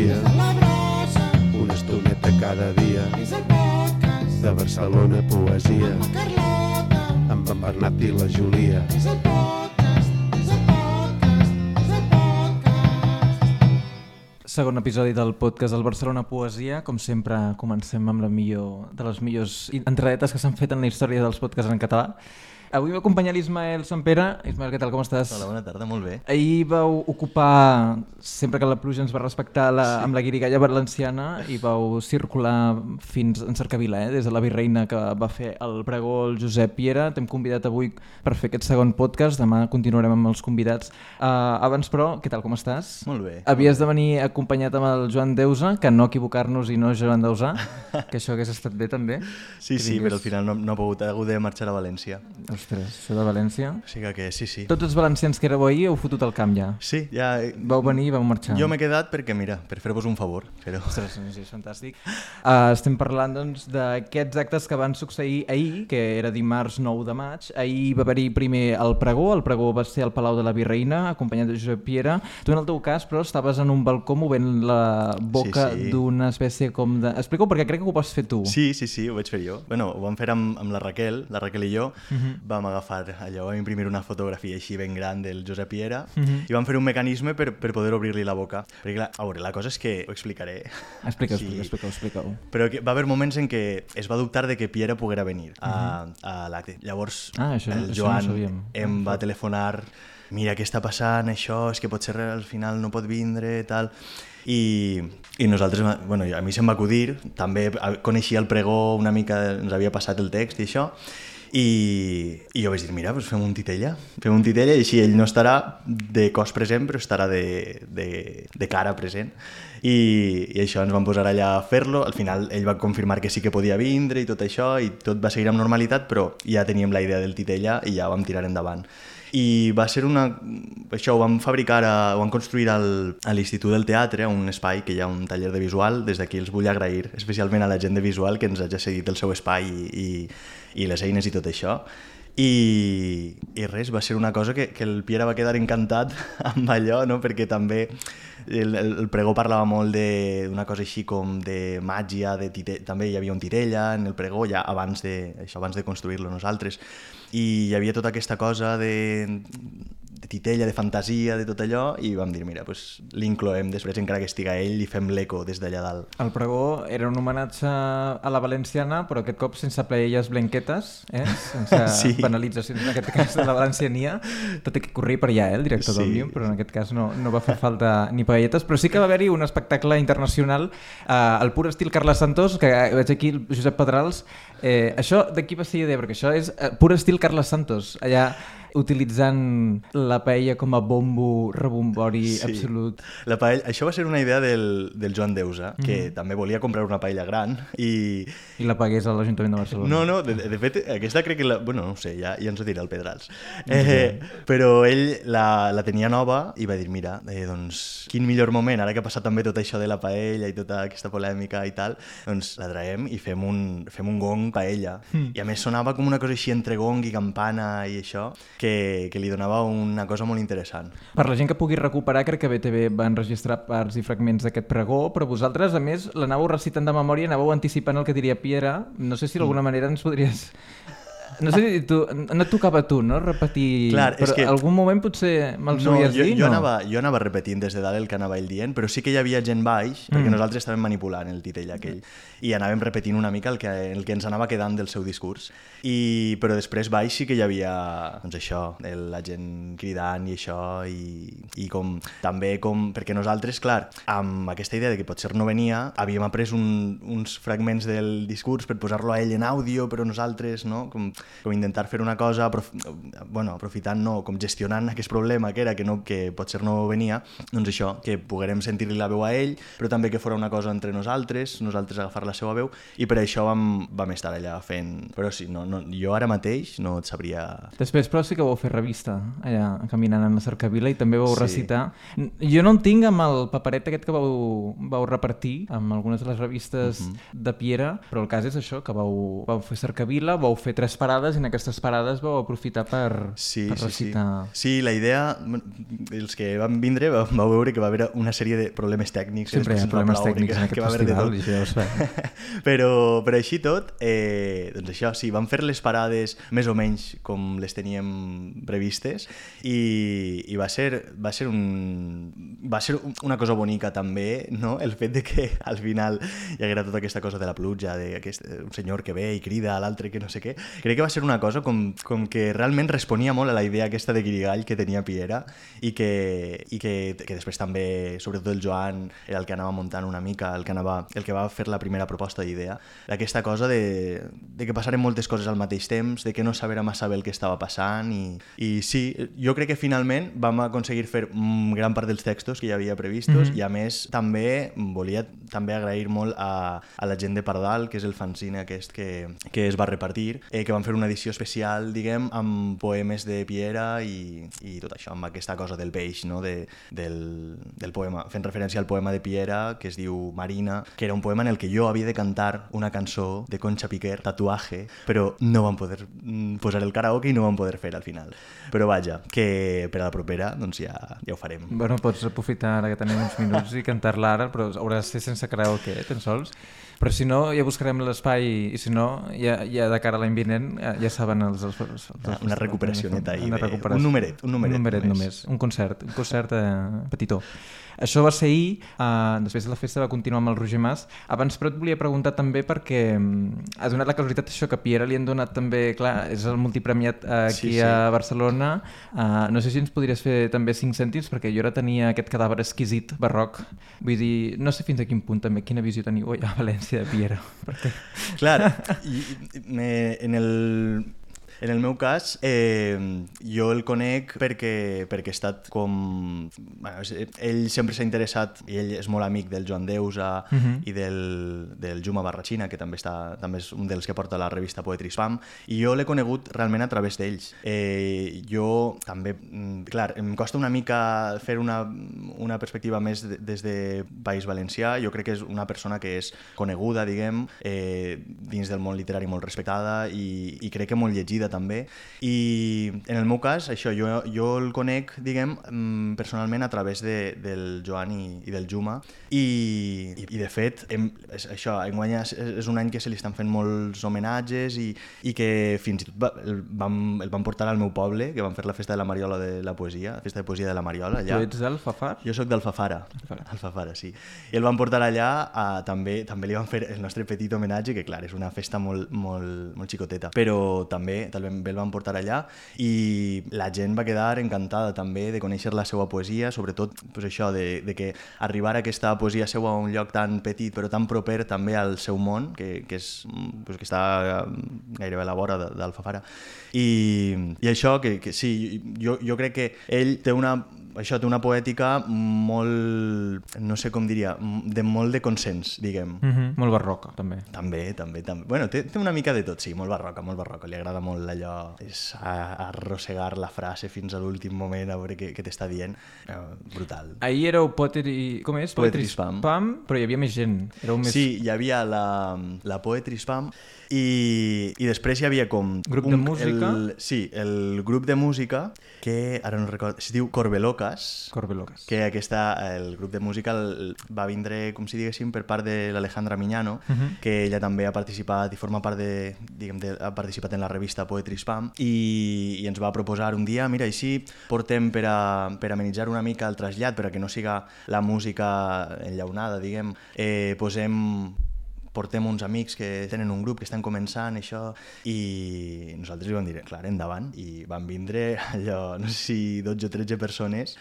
poesia, una estoneta cada dia, de Barcelona poesia, amb en Bernat i la Júlia. Segon episodi del podcast del Barcelona Poesia. Com sempre, comencem amb la millor de les millors entradetes que s'han fet en la història dels podcasts en català. Avui m'acompanya l'Ismael Sampere. Ismael, què tal, com estàs? Hola, bona tarda, molt bé. Ahir vau ocupar, sempre que la pluja ens va respectar, amb la guirigalla valenciana, i vau circular fins en Cercavila, des de la Virreina, que va fer el pregó el Josep Piera. T'hem convidat avui per fer aquest segon podcast, demà continuarem amb els convidats. Abans, però, què tal, com estàs? Molt bé. Havies de venir acompanyat amb el Joan Deusa, que no equivocar-nos i no Joan Deusà, que això hagués estat bé també. Sí, però al final no ha pogut, ha hagut de marxar a València. Ostres, això de València. O sigui que sí. Tots els valencians que éreu ahir heu fotut el camp ja. Sí, ja... Vau venir i vau marxar. Jo m'he quedat perquè, mira, per fer-vos un favor. Però... Ostres, sí, és fantàstic. Estem parlant, doncs, d'aquests actes que van succeir ahir, que era dimarts 9 de maig. Ahir va haver-hi primer el pregó va ser al Palau de la Virreina, acompanyat de Josep Piera. Tu, en el teu cas, però, estaves en un balcó movent la boca d'una espècie com de... Explica-ho, perquè crec que ho vas fer tu. Sí, ho vaig fer jo. Bueno, ho vam fer amb la Raquel i jo. Vam agafar allò, vam imprimir una fotografia així ben gran del Josep Piera i vam fer un mecanisme per poder obrir-li la boca. Perquè, clar, a veure, la cosa és que... Ho explicaré. Explica-ho. Però va haver moments en què es va dubtar de que Piera poguera venir a l'acte. Llavors, el Joan em va telefonar: mira, què està passant, això, és que potser al final no pot vindre, tal... I nosaltres, bueno, a mi se'm va acudir, també coneixia el pregó una mica, ens havia passat el text i això, i jo vaig dir, mira, doncs fem un titella i així ell no estarà de cos present, però estarà de cara present. I això, ens vam posar allà a fer-lo. Al final ell va confirmar que sí que podia vindre i tot això, i tot va seguir amb normalitat, però ja teníem la idea del titella i ja vam tirar endavant. I va ser això ho vam fabricar, ho vam construir a l'Institut del Teatre, un espai que hi ha un taller de visual. Des d'aquí els vull agrair especialment a la gent de visual que ens hagi cedit el seu espai i les eines i tot això. I res, va ser una cosa que el Piera va quedar encantat amb allò, no? Perquè també el pregó parlava molt d'una cosa així com de màgia, també hi havia un titella en el pregó ja abans de construir-lo nosaltres, i hi havia tota aquesta cosa de titella, de fantasia, de tot allò, i vam dir, mira, doncs l'incloem després, encara que estiga ell, i fem l'eco des d'allà dalt. El pregó era un homenatge a la valenciana, però aquest cop sense paelles blanquetes, sense banalitzacions, en aquest cas de la valenciania. Tot i que corria per allà, el director d'Òmnium, però en aquest cas no va fer falta ni paelletes, però sí que va haver-hi un espectacle internacional, el pur estil Carles Santos, que veig aquí el Josep Pedrals. Això de qui va ser idea? Perquè això és pur estil Carles Santos, allà utilitzant la paella com a bombo rebombori absolut. La paella, això va ser una idea del Joan Deusa, que també volia comprar una paella gran i la pagués a l'Ajuntament de Barcelona. No, de fet, aquesta crec que bueno, no ho sé, ja ens ho dirà el Pedrals. Però ell la tenia nova i va dir, mira, doncs quin millor moment, ara que ha passat també tot això de la paella i tota aquesta polèmica i tal, doncs la traiem i fem un gong paella. I a més sonava com una cosa així entre gong i campana i això, que li donava una cosa molt interessant. Per la gent que pugui recuperar, crec que BTV va enregistrar parts i fragments d'aquest pregó, però vosaltres, a més, l'anàveu recitant de memòria, anàveu anticipant el que diria Piera. No sé si d'alguna manera ens podries... No sé si no et tocava a tu, no?, repetir... Clar, però que... algun moment potser me'ls hauries dit, no? Jo anava repetint des de dalt el que anava ell dient, però sí que hi havia gent baix, perquè nosaltres estàvem manipulant el titell aquell, i anàvem repetint una mica el que ens anava quedant del seu discurs. Però després baix sí que hi havia, doncs això, la gent cridant i això, i també perquè nosaltres, clar, amb aquesta idea de que potser no venia, havíem après uns fragments del discurs per posar-lo a ell en àudio, però nosaltres, no?, com intentar fer una cosa aprofitant, com gestionant aquest problema que era que potser no venia, doncs això, que poguérem sentir-li la veu a ell, però també que fora una cosa entre nosaltres agafar la seva veu, i per això vam estar allà fent... Però sí, jo ara mateix no et sabria... Després, però sí que vau fer revista, allà caminant en la Cercavila, i també vau recitar. Jo no en tinc amb el paperet aquest que vau repartir amb algunes de les revistes de Piera, però el cas és això, que vau fer Cercavila, vau fer 3 parades parades i en aquestes parades vau aprofitar per recitar. Sí, la idea, els que van vindre vau veure que va haver una sèrie de problemes tècnics. Sempre hi ha problemes tècnics en aquest festival, i això ja ho sabem. Però així tot, doncs això, sí, vam fer les parades més o menys com les teníem previstes i va ser una cosa bonica també, no? El fet de que al final hi haguera tota aquesta cosa de la pluja, un senyor que ve i crida a l'altre que no sé què. Crec que va ser una cosa com que realment responia molt a la idea aquesta de guirigall que tenia Piera i que després també, sobretot el Joan, era el que anava muntant una mica, el que va fer la primera proposta d'idea, d'aquesta cosa de que passaren moltes coses al mateix temps, de que no sabera massa bé el que estava passant i sí, jo crec que finalment vam aconseguir fer gran part dels textos que hi havia previstos i a més també volia agrair molt a la gent de Pardal, que és el fanzine aquest que es va repartir, que van fer una edició especial, diguem, amb poemes de Piera i tot això, amb aquesta cosa del peix, no? del poema, fent referència al poema de Piera que es diu Marina, que era un poema en el que jo havia de cantar una cançó de Concha Piquer, Tatuaje, però no vam poder posar el karaoke i no vam poder fer al final. Però vaja, que per a la propera doncs ja ho farem. Bueno, pots aprofitar ara que tenim uns minuts i cantar-la ara, però hauràs de ser sense karaoke, tan sols. Però si no, ja buscarem l'espai i si no, ja de cara a l'any vinent ja saben els una recuperacioneta ahí, un numeret només, un concert petitó. Això va ser ahir, després de la festa va continuar amb el Roger Mas. Abans però et volia preguntar també perquè ha donat la casualitat això que a Piera li han donat també, clar, és el multipremiat aquí a Barcelona. No sé si ens podries fer també 5 cèntims perquè jo ara tenia aquest cadàver exquisit barroc. Vull dir, no sé fins a quin punt també, quina visió teniu a València de Piera. Perquè... Clar, en el meu cas, jo el conec perquè ha estat com... Bueno, ell sempre s'ha interessat, i ell és molt amic del Joan Deusa i del Juma Barrachina, que també és un dels que porta la revista Poetry Spam, i jo l'he conegut realment a través d'ells. Jo també, clar, em costa una mica fer una perspectiva més des de País Valencià. Jo crec que és una persona que és coneguda, diguem, dins del món literari molt respectada i crec que molt llegida també, i en el meu cas això, jo el conec, diguem, personalment a través del Joan i del Juma i de fet això, enguany és un any que se li estan fent molts homenatges i que fins i tot el van portar al meu poble, que van fer la festa de la Mariola de la poesia, la festa de poesia de la Mariola allà. Tu ets d'Alfafar? Jo soc d'Alfafara, sí. I el van portar allà, també li van fer el nostre petit homenatge, que clar, és una festa molt xicoteta, però també el van portar allà i la gent va quedar encantada també de conèixer la seva poesia, sobretot pues, això de que arribar a aquesta poesia seva a un lloc tan petit però tan proper també al seu món, que està gairebé a la vora d'Alfafara. I això, que sí, jo crec que ell té una poètica molt, no sé com diria, molt de consens, diguem. Molt barroca, també. També. Bueno, té una mica de tot, sí, molt barroca. Li agrada molt allò, és arrossegar la frase fins a l'últim moment a veure què t'està dient. Brutal. Ahir éreu Poetry Spam, però hi havia més gent. Sí, hi havia la Poetry Spam i després hi havia com... Grup de música? Sí, el grup de música que, ara no recordo, es diu Corbelocas, que el grup de música va vindre, com si diguéssim, per part de l'Alejandra Miñano, que ella també ha participat i forma part ha participat en la revista Poetry Spam i ens va proposar un dia, mira, així portem per amenitzar una mica el trasllat, per a que no siga la música enllaunada, diguem, portem uns amics que tenen un grup que estan començant això i nosaltres li vam dir, clar, endavant, i van vindre allò, no sé si 12 o 13 persones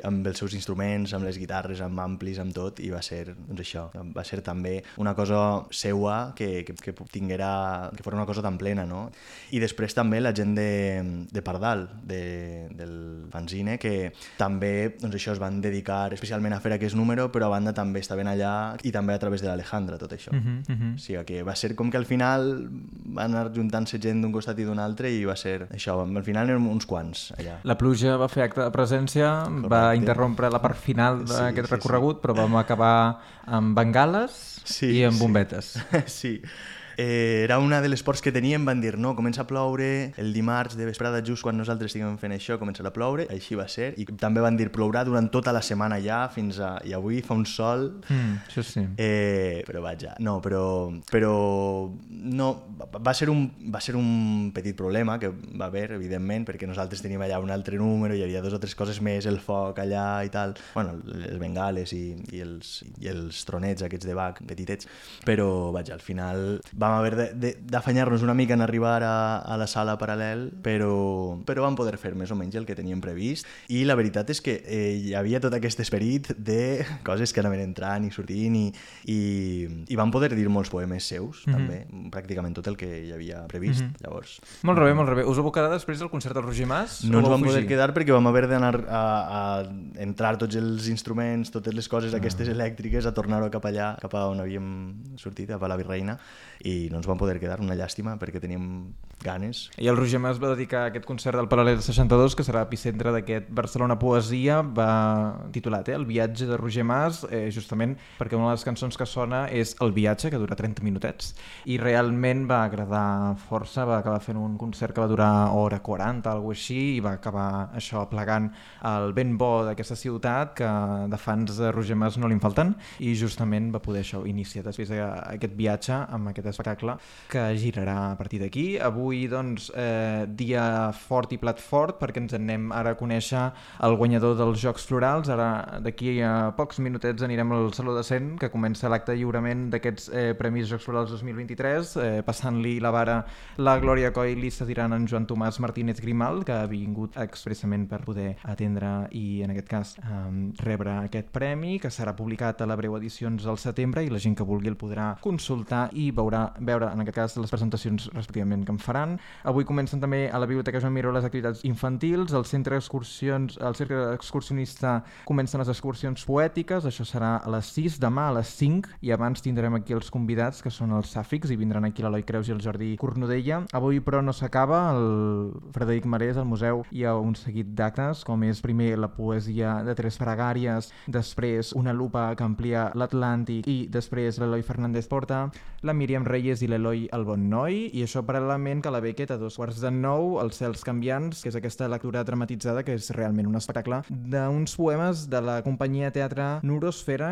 amb els seus instruments, amb les guitarres, amb amplis, amb tot, i va ser, doncs això, va ser també una cosa seua que fos una cosa tan plena, no? I després també la gent de Pardal, del fanzine, que també, doncs això, es van dedicar especialment a fer aquest número, però a banda també estaven allà i també a través de l'Alejandra, tot això. O sigui que va ser com que al final va anar juntant-se gent d'un costat i d'un altre i va ser això, al final eren uns quants allà. La pluja va fer acte de presència, va interrompre la part final d'aquest recorregut, però vam acabar amb bengales i amb bombetes. Sí. Era una de les pors que teníem, van dir, no, comença a ploure el dimarts de vesprada, just quan nosaltres estiguem fent això, començarà a ploure, així va ser, i també van dir, plourà durant tota la setmana ja, fins a... i avui fa un sol... Això sí. Però vaja, no, però no, va ser un petit problema que va haver, evidentment, perquè nosaltres teníem allà un altre número, hi havia 2 o 3 coses més, el foc allà i tal, bueno, les bengales i els tronets aquests de Bach, petitets, però vaja, al final vam haver d'afanyar-nos una mica en arribar a la sala paral·lel, però vam poder fer més o menys el que teníem previst, i la veritat és que hi havia tot aquest esperit de coses que anaven entrant i sortint, i vam poder dir molts poemes seus, també, pràcticament tot el que hi havia previst, llavors. Molt bé. Us abocarà després del concert del Roger Mas? No ens vam poder quedar perquè vam haver d'anar a entrar tots els instruments, totes les coses aquestes elèctriques, a tornar-ho cap allà, cap a on havíem sortit, a la Virreina, i no ens vam poder quedar, una llàstima, perquè teníem ganes. I el Roger Mas va dedicar aquest concert del Paral·lel 62, que serà epicentre d'aquest Barcelona Poesia, va titulat El viatge de Roger Mas, justament perquè una de les cançons que sona és El viatge, que dura 30 minutets, i realment va agradar força, va acabar fent un concert que va durar hora 40, alguna cosa així, i va acabar això plegant el ben bo d'aquesta ciutat, que de fans de Roger Mas no li en falten, i justament va poder això iniciar després aquest viatge amb aquest espectacle que girarà a partir d'aquí. Avui, doncs, dia fort i plat fort, perquè ens anem ara a conèixer el guanyador dels Jocs Florals. Ara, d'aquí a pocs minutets, anirem al Saló de Cent, que comença l'acte de lliurament d'aquests Premis Jocs Florals 2023, passant-li la vara la Glòria Coll i cediran en Joan Tomàs Martínez Grimal, que ha vingut expressament per poder atendre i, en aquest cas, rebre aquest premi, que serà publicat a la Breu Edicions al setembre, i la gent que vulgui el podrà consultar i veure, en aquest cas, les presentacions respectivament que en faran. Avui comencen també a la Biblioteca Joan Miró les activitats infantils, al Centre Excursionista comencen les excursions poètiques, això serà a les 6, demà a les 5, i abans tindrem aquí els convidats, que són els Sàfics, i vindran aquí l'Eloi Creus i el Jordi Cornudella. Avui, però, no s'acaba, el Frederic Marès, al museu, hi ha un seguit d'actes, com és primer la poesia de 3 pregàries, després una lupa que amplia l'Atlàntic, i després l'Eloi Fernández Porta, la Míriam Reyes i l'Eloi El Bon Noi, i això paral·lelament que la Beckett a 2:15, Els cels canviants, que és aquesta lectura dramatitzada, que és realment un espectacle d'uns poemes de la companyia teatre Neurosfera,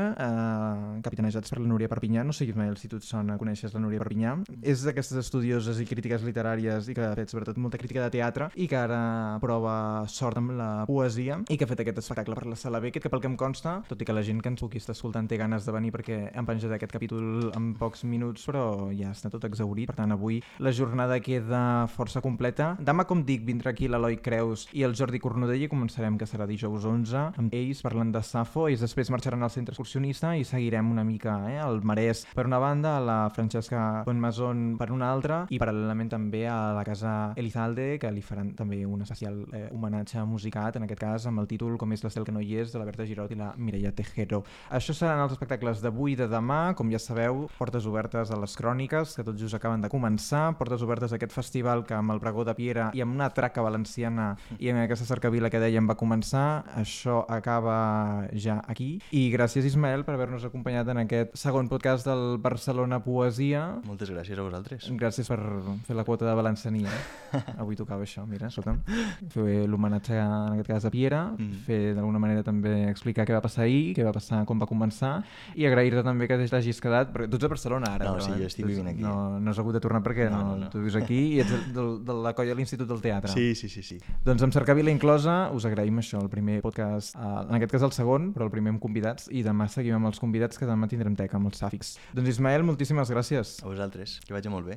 capitanejats per la Núria Perpinyà. No sé, Ismael, si tu et sona, coneixes la Núria Perpinyà. És d'aquestes estudioses i crítiques literàries i que ha fet sobretot molta crítica de teatre i que ara prova sort amb la poesia i que ha fet aquest espectacle per la Sala Beckett, que pel que em consta, tot i que la gent que ens pugui estar escoltant té ganes de venir perquè han penjat aquest capítol en pocs minuts, però ja està tot exhaurit. Per tant, avui la jornada queda força completa. Demà, com dic, vindrà aquí l'Eloi Creus i el Jordi Cornudella, i començarem, que serà dijous 11, amb ells parlant de Safo. Ells després marxaran al Centre Excursionista i seguirem una mica al Marès per una banda, a la Francesca Bonmason per una altra, i paral·lelament també a la Casa Elizalde, que li faran també un especial homenatge musicat, en aquest cas amb el títol Com és l'estel que no hi és, de la Berta Girot i la Mireia Tejero. Això seran els espectacles d'avui i de demà. Com ja sabeu, portes obertes a les cròniques, que tots just acaben de començar, portes obertes a aquest festival que amb el pregó de Piera i amb una traca valenciana i amb aquesta cercavila que dèiem va començar. Això acaba ja aquí. I gràcies, Ismael, per haver-nos acompanyat en aquest segon podcast del Barcelona Poesia. Moltes gràcies a vosaltres. Gràcies per fer la quota de valenciania. Avui tocava això, mira, escolta'm. Fer l'homenatge, en aquest cas, a Piera, fer d'alguna manera també explicar què va passar ahir, què va passar, com va començar, i agrair-te també que t'hagis quedat, perquè tu ets a Barcelona ara. No, però, sí, jo estic vivint aquí. No has hagut de tornar perquè no. Tu vius aquí i ets de la colla de l'Institut del Teatre. Sí. Doncs amb cercavila inclosa us agraïm això, el primer podcast, en aquest cas el segon, però el primer amb convidats, i demà seguim amb els convidats, que demà tindrem teca amb els Sàfics. Doncs Ismael, moltíssimes gràcies. A vosaltres, que vagi molt bé.